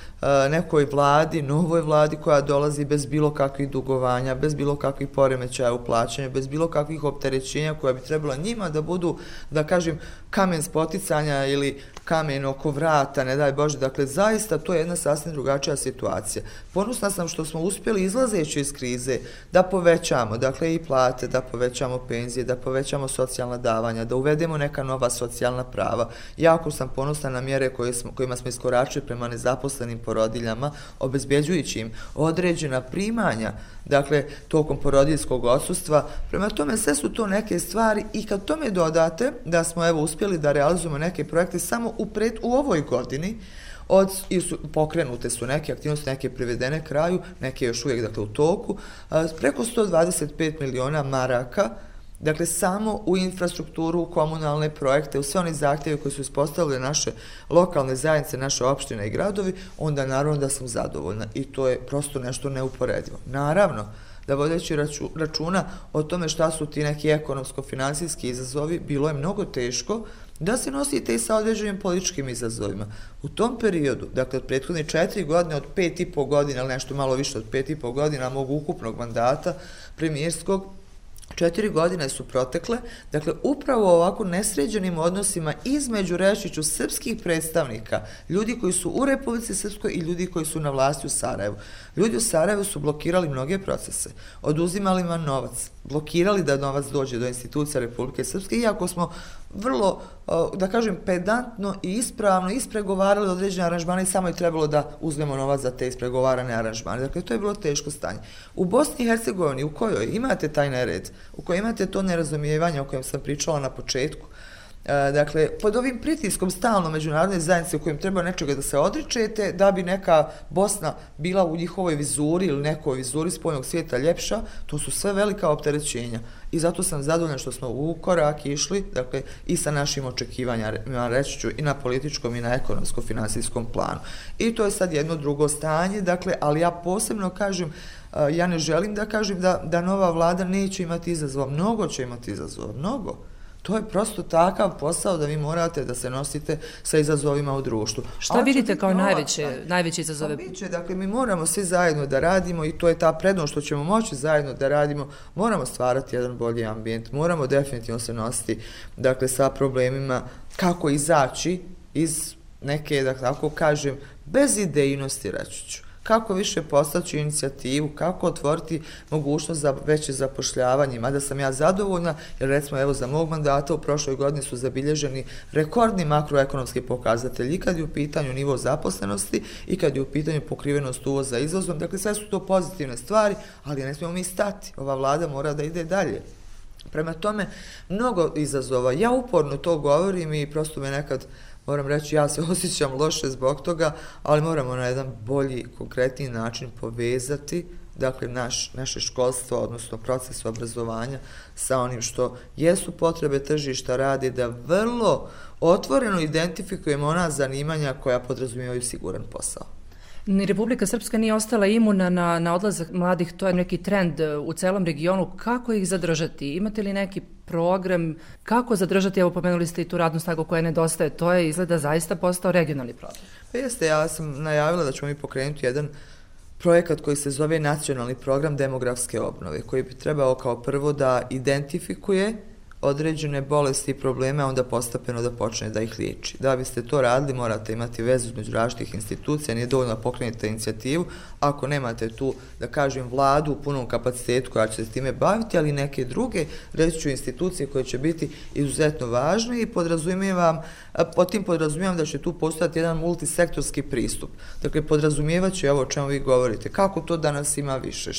nekoj vladi, novoj vladi koja dolazi bez bilo kakvih dugovanja, bez bilo kakvih poremećaja u plaćanju, bez bilo kakvih opterećenja koja bi trebala njima da budu, da kažem, kamen spoticanja ili kamen oko vrata, ne daj Bože. Dakle, zaista to je jedna sasvim drugačija situacija. Ponosna sam što smo uspjeli izlazeći iz krize da povećamo, dakle, i plate, da povećamo penzije, da povećamo socijalna davanja, da uvedemo neka nova socijalna prava. Jako sam ponosna na mjere kojima smo iskoračili prema nezaposlenim porodiljama, obezbeđujući im određena primanja, dakle, tokom porodiljskog odsustva. Prema tome, sve su to neke stvari i kad tome dodate da smo uspjeli da realizujemo neke projekte samo u ovoj godini, pokrenute su neke aktivnosti, neke privedene kraju, neke još uvijek, dakle, u toku, preko 125 miliona maraka, dakle, samo u infrastrukturu, u komunalne projekte, u sve one zahtjeve koji su ispostavili naše lokalne zajednice, naše opštine i gradovi, onda naravno da sam zadovoljna i to je prosto nešto neuporedivo. Naravno, da vodeći računa o tome šta su ti neki ekonomsko-finansijski izazovi, bilo je mnogo teško da se nosite i sa određenim političkim izazovima. U tom periodu, dakle, od prethodne 4 godine, od 5,5 godina, ali nešto malo više od 5,5 godina mog ukupnog mandata premijerskog, 4 godine su protekle, dakle, upravo ovako nesređenim odnosima između, reći ću, srpskih predstavnika, ljudi koji su u Republici Srpskoj i ljudi koji su na vlasti u Sarajevu. Ljudi u Sarajevu su blokirali mnoge procese, oduzimali im novac, blokirali da novac dođe do institucija Republike Srpske, iako smo vrlo, da kažem, pedantno i ispravno ispregovarali određene aranžmane i samo je trebalo da uzmemo novac za te ispregovarane aranžmane. Dakle, to je bilo teško stanje. U Bosni i Hercegovini, u kojoj imate taj nered, u kojoj imate to nerazumijevanje o kojem sam pričala na početku, dakle, pod ovim pritiskom stalno međunarodne zajednice u kojem treba nečega da se odričete, da bi neka Bosna bila u njihovoj vizuri ili nekoj vizuri spoljnog svijeta ljepša, to su sve velika opterećenja. I zato sam zadovoljna što smo u korak išli, dakle, i sa našim očekivanjima, reći ću, i na političkom i na ekonomsko-finansijskom planu. I to je sad jedno drugo stanje, dakle, ali ja posebno kažem, ja ne želim da kažem da nova vlada neće imati izazova, mnogo će imati izazova, mnogo. To je prosto takav posao da vi morate da se nosite sa izazovima u društvu. Šta vidite kao najveće izazove? Dakle, mi moramo svi zajedno da radimo i to je ta prednost što ćemo moći zajedno da radimo. Moramo stvarati jedan bolji ambijent, moramo definitivno se nositi dakle, sa problemima kako izaći iz neke, da tako kažem, bezidejnosti, reći ću. Kako više postaći inicijativu, kako otvoriti mogućnost za veće zapošljavanje, mada sam ja zadovoljna, jer recimo evo za mog mandata u prošloj godini su zabilježeni rekordni makroekonomski pokazatelji i kad je u pitanju nivo zaposlenosti i kad je u pitanju pokrivenost uvoza izvozom, dakle sve su to pozitivne stvari, ali ne smijemo mi stati, ova vlada mora da ide dalje. Prema tome, mnogo izazova, ja uporno to govorim i prosto me nekad moram reći, ja se osjećam loše zbog toga, ali moramo na jedan bolji, konkretniji način povezati dakle, naše školstvo, odnosno proces obrazovanja sa onim što jesu potrebe tržišta rada, da vrlo otvoreno identifikujemo ona zanimanja koja podrazumijevaju siguran posao. Ni Republika Srpska nije ostala imuna na odlazak mladih, to je neki trend u celom regionu. Kako ih zadržati? Imate li neki program? Kako zadržati? Evo, pomenuli ste i tu radnu snagu koja nedostaje. To je izgleda zaista postao regionalni problem. Pa jeste, ja sam najavila da ćemo mi pokrenuti jedan projekat koji se zove Nacionalni program demografske obnove, koji bi trebao kao prvo da identifikuje određene bolesti i probleme, a onda postepeno da počne da ih liječi. Da biste to radili, morate imati vezu između različitih institucija, nije dovoljno da pokrenete inicijativu, ako nemate tu, da kažem, vladu u punom kapacitetu koja će se s time baviti, ali neke druge, reći ću, institucije koje će biti izuzetno važne i pod tim podrazumijevam da će tu postojati jedan multisektorski pristup. Dakle, podrazumijevat će ovo o čemu vi govorite, kako to danas ima više,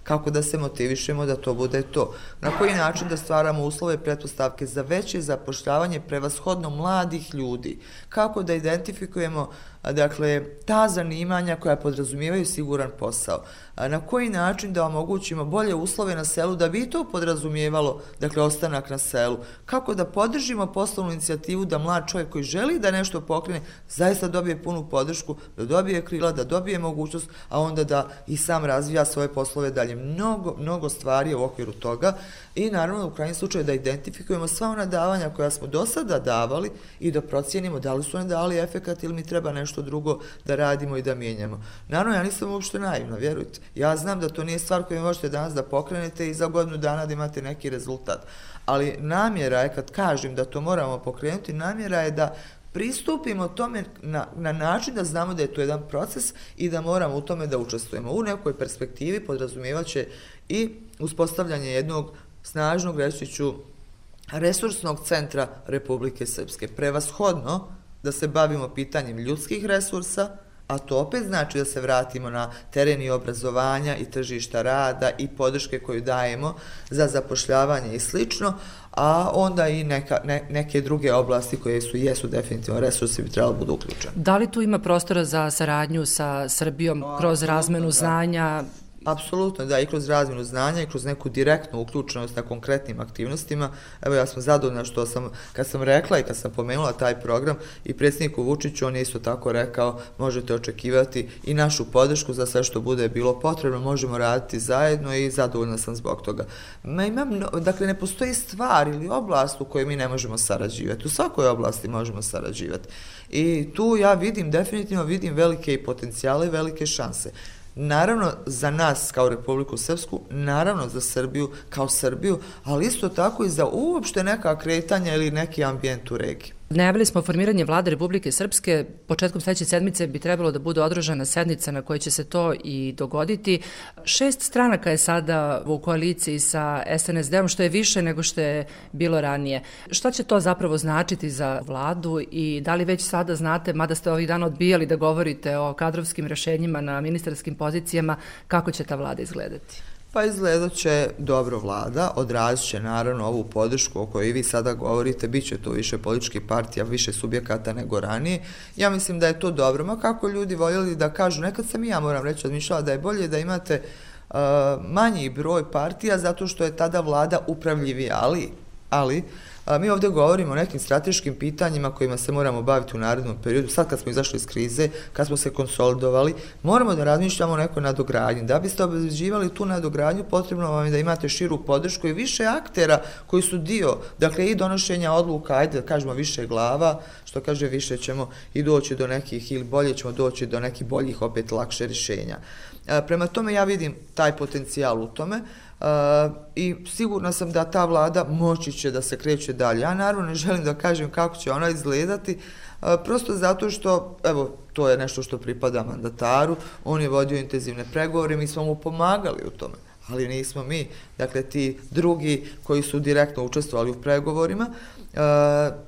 kako da se motivišemo da to bude to. Na koji način da stvaramo uslove i pretpostavke za veće zapošljavanje prevashodno mladih ljudi. Kako da identifikujemo dakle, ta zanimanja koja podrazumijevaju siguran posao. Na koji način da omogućimo bolje uslove na selu da bi to podrazumijevalo, dakle, ostanak na selu. Kako da podržimo poslovnu inicijativu da mlad čovjek koji želi da nešto pokrene zaista dobije punu podršku, da dobije krila, da dobije mogućnost, a onda da i sam razvija svoje poslove dalje. Mnogo stvari u okviru toga i naravno u krajnjem slučaju da identifikujemo sva ona davanja koja smo do sada davali i da procijenimo da li su one dali efekat ili mi treba nešto drugo da radimo i da mijenjamo. Naravno, ja nisam uopšte naivna, vjerujte. Ja znam da to nije stvar koju možete danas da pokrenete i za godinu dana da imate neki rezultat. Ali namjera je, kad kažem da to moramo pokrenuti, namjera je da pristupimo tome na način da znamo da je to jedan proces i da moramo u tome da učestvujemo. U nekoj perspektivi podrazumijevaće i uspostavljanje jednog snažnog, reći ću, resursnog centra Republike Srpske. Prevashodno da se bavimo pitanjem ljudskih resursa, a to opet znači da se vratimo na tereni obrazovanja i tržišta rada i podrške koju dajemo za zapošljavanje i slično, a onda i neke druge oblasti koje jesu definitivno resursi bi trebalo budu uključeni. Da li tu ima prostora za saradnju sa Srbijom kroz razmenu znanja? Apsolutno, da, i kroz razmjenu znanja i kroz neku direktnu uključenost na konkretnim aktivnostima. Evo, ja sam zadovoljna što kad sam rekla i kad sam pomenula taj program i predsjedniku Vučiću, on je isto tako rekao, možete očekivati i našu podršku za sve što bude bilo potrebno, možemo raditi zajedno i zadovoljna sam zbog toga. Dakle, ne postoji stvar ili oblast u kojoj mi ne možemo sarađivati. U svakoj oblasti možemo sarađivati. I tu ja definitivno vidim velike i potencijale i velike šanse. Naravno za nas kao Republiku Srpsku, naravno za Srbiju kao Srbiju, ali isto tako i za uopšte neka kretanja ili neki ambijent u regiji. Najavili smo formiranje vlade Republike Srpske. Početkom sledeće sedmice bi trebalo da bude održana sednica na kojoj će se to i dogoditi. 6 stranaka je sada u koaliciji sa SNSD-om, što je više nego što je bilo ranije. Šta će to zapravo značiti za vladu i da li već sada znate, mada ste ovih dana odbijali da govorite o kadrovskim rešenjima na ministarskim pozicijama, kako će ta vlada izgledati? Pa izgledat će dobro vlada, odrazit će naravno ovu podršku o kojoj vi sada govorite, bit će to više političkih partija, više subjekata nego ranije. Ja mislim da je to dobro, ma kako ljudi voljeli da kažu, nekad sam i ja moram reći odmišljala da je bolje da imate manji broj partija zato što je tada vlada upravljivija, ali Mi ovdje govorimo o nekim strateškim pitanjima kojima se moramo baviti u narednom periodu. Sad kad smo izašli iz krize, kad smo se konsolidovali, moramo da razmišljamo o nekoj nadogradnji. Da biste obezbeđivali tu nadogradnju, potrebno vam je da imate širu podršku i više aktera koji su dio, dakle i donošenja odluka, ajde da kažemo više glava, što kaže više ćemo i doći do nekih, ili bolje ćemo doći do nekih boljih, opet lakše rješenja. Prema tome ja vidim taj potencijal u tome i sigurna sam da ta vlada moći će da se kreće dalje. Ja naravno ne želim da kažem kako će ona izgledati, prosto zato što, evo, to je nešto što pripada mandataru, on je vodio intenzivne pregovore, mi smo mu pomagali u tome, ali nismo mi, dakle ti drugi koji su direktno učestvovali u pregovorima,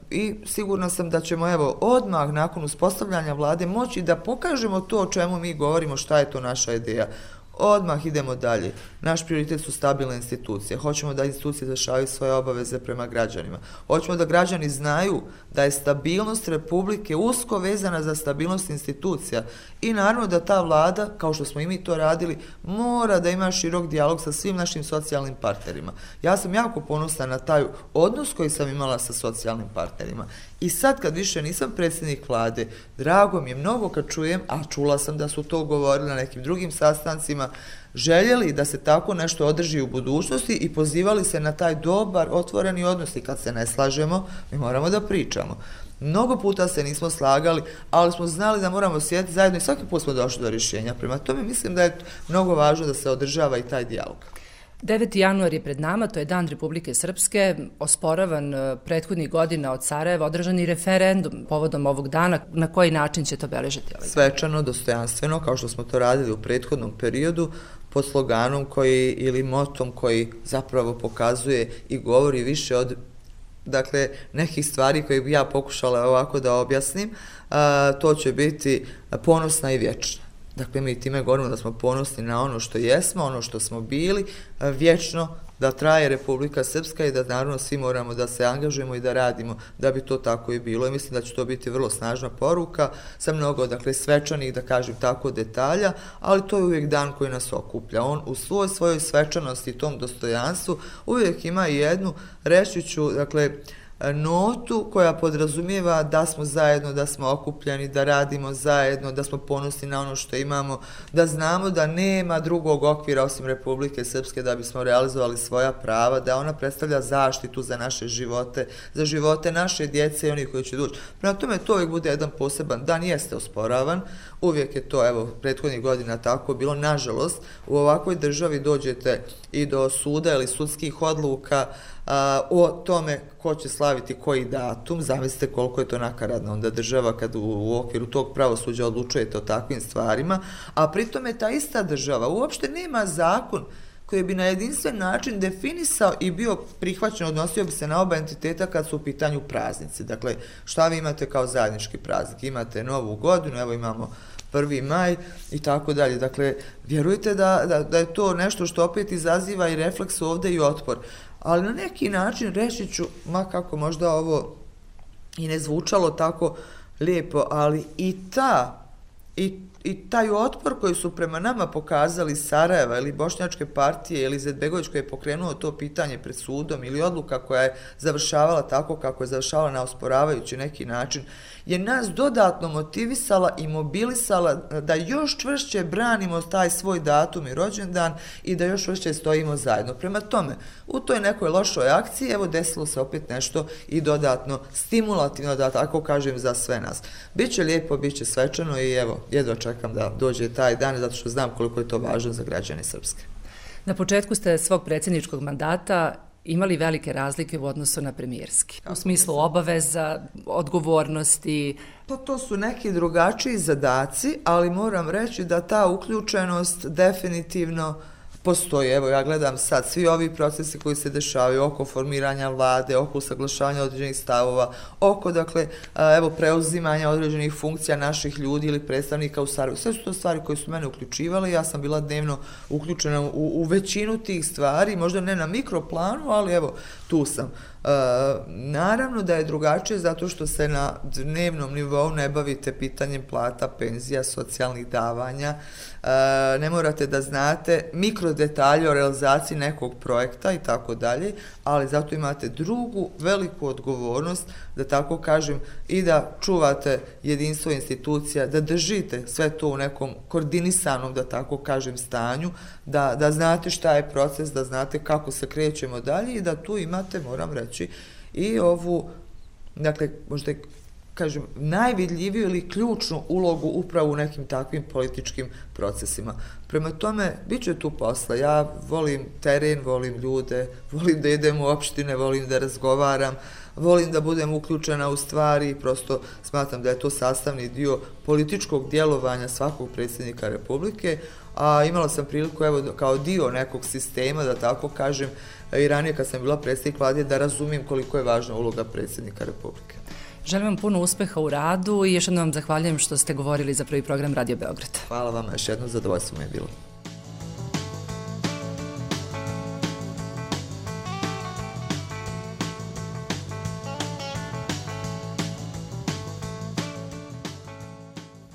i sigurna sam da ćemo evo odmah nakon uspostavljanja vlade moći da pokažemo to o čemu mi govorimo, šta je to naša ideja. Odmah idemo dalje. Naš prioritet su stabilne institucije. Hoćemo da institucije izvršavaju svoje obaveze prema građanima. Hoćemo da građani znaju da je stabilnost Republike usko vezana za stabilnost institucija i naravno da ta vlada, kao što smo i mi to radili, mora da ima širok dijalog sa svim našim socijalnim partnerima. Ja sam jako ponosna na taj odnos koji sam imala sa socijalnim partnerima. I sad kad više nisam predsjednik vlade, drago mi je mnogo kad čujem, a čula sam da su to govorili na nekim drugim sastancima, željeli da se tako nešto održi u budućnosti i pozivali se na taj dobar, otvoreni odnos i kad se ne slažemo, mi moramo da pričamo. Mnogo puta se nismo slagali, ali smo znali da moramo sjediti zajedno i svaki put smo došli do rješenja. Prema tome mislim da je mnogo važno da se održava i taj dijalog. 9. januar je pred nama, to je Dan Republike Srpske, osporavan prethodnih godina od Sarajeva, održan i referendum povodom ovog dana. Na koji način će to obeležiti ovaj dan? Svečano, dostojanstveno, kao što smo to radili u prethodnom periodu, pod sloganom koji, ili motom koji zapravo pokazuje i govori više od, dakle, nekih stvari koje bi ja pokušala ovako da objasnim, to će biti ponosna i vječna. Dakle, mi time govorimo da smo ponosni na ono što jesmo, ono što smo bili, vječno da traje Republika Srpska i da naravno svi moramo da se angažujemo i da radimo da bi to tako i bilo. I mislim da će to biti vrlo snažna poruka sa mnogo, dakle, svečanih, da kažem tako, detalja, ali to je uvijek dan koji nas okuplja. On u svojoj svečanosti i tom dostojanstvu uvijek ima i jednu, reći ću, dakle, notu koja podrazumijeva da smo zajedno, da smo okupljeni, da radimo zajedno, da smo ponosni na ono što imamo, da znamo da nema drugog okvira osim Republike Srpske da bismo realizovali svoja prava, da ona predstavlja zaštitu za naše živote, za živote naše djece i onih koji će doći. Prema tome to uvijek bude jedan poseban dan, jeste osporavan, uvijek je to, evo, prethodnih godina tako bilo, nažalost, u ovakvoj državi dođete i do suda ili sudskih odluka o tome ko će slaviti koji datum, zamislite koliko je to nakaradna onda država kad u okviru tog pravosuđa odlučujete o takvim stvarima, a pritom je ta ista država uopšte nema zakon koji bi na jedinstven način definisao i bio prihvaćen, odnosio bi se na oba entiteta kad su u pitanju praznici. Dakle, šta vi imate kao zajednički praznik? Imate Novu godinu, evo imamo 1. maj i tako dalje. Dakle, vjerujte da je to nešto što opet izaziva i refleks ovdje i otpor. Ali na neki način reći ću, ma kako možda ovo i ne zvučalo tako lijepo, ali i taj otpor koji su prema nama pokazali Sarajeva ili Bošnjačke partije ili Izetbegović koji je pokrenuo to pitanje pred sudom ili odluka koja je završavala tako kako je završavala na osporavajući neki način, je nas dodatno motivisala i mobilisala da još čvršće branimo taj svoj datum i rođendan i da još čvršće stojimo zajedno. Prema tome, u toj nekoj lošoj akciji, evo desilo se opet nešto i dodatno stimulativno, da tako kažem, za sve nas. Biće lijepo, biće svečano i evo, jedva čekam da dođe taj dan, zato što znam koliko je to važno za građane Srpske. Na početku ste svog predsjedničkog mandata imali velike razlike u odnosu na premijerski, u smislu obaveza, odgovornosti. Pa to su neki drugačiji zadaci, ali moram reći da ta uključenost definitivno postoji. Evo, ja gledam sad svi ovi procesi koji se dešavaju oko formiranja vlade, oko usaglašavanja određenih stavova, oko, dakle, evo, preuzimanja određenih funkcija naših ljudi ili predstavnika u Sarajevu. Sve su to stvari koje su mene uključivale, ja sam bila dnevno uključena u većinu tih stvari, možda ne na mikroplanu, ali evo, tu sam. Naravno da je drugačije zato što se na dnevnom nivou ne bavite pitanjem plata, penzija, socijalnih davanja, ne morate da znate mikro možda detalje o realizaciji nekog projekta i tako dalje, ali zato imate drugu veliku odgovornost, da tako kažem, i da čuvate jedinstvo institucija, da držite sve to u nekom koordinisanom, da tako kažem, stanju, da znate šta je proces, da znate kako se krećemo dalje i da tu imate, moram reći, i ovu, dakle, možda kažem, najvidljiviju ili ključnu ulogu upravo u nekim takvim političkim procesima. Prema tome, bit će tu posla. Ja volim teren, volim ljude, volim da idem u opštine, volim da razgovaram, volim da budem uključena u stvari i prosto smatram da je to sastavni dio političkog djelovanja svakog predsjednika Republike, a imala sam priliku, evo, kao dio nekog sistema, da tako kažem, i ranije kad sam bila predsjednik vlade, da razumijem koliko je važna uloga predsjednika Republike. Želim vam puno uspeha u radu i još jednom vam zahvaljujem što ste govorili za Prvi program Radio Beograd. Hvala vam, još jedno zadovoljstvo mi je bilo.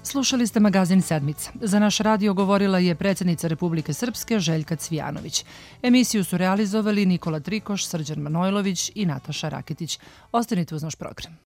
Slušali ste magazin Sedmica. Za naš radio govorila je predsjednica Republike Srpske Željka Cvijanović. Emisiju su realizovali Nikola Trikoš, Srđan Manojlović i Nataša Raketić. Ostanite uz naš program.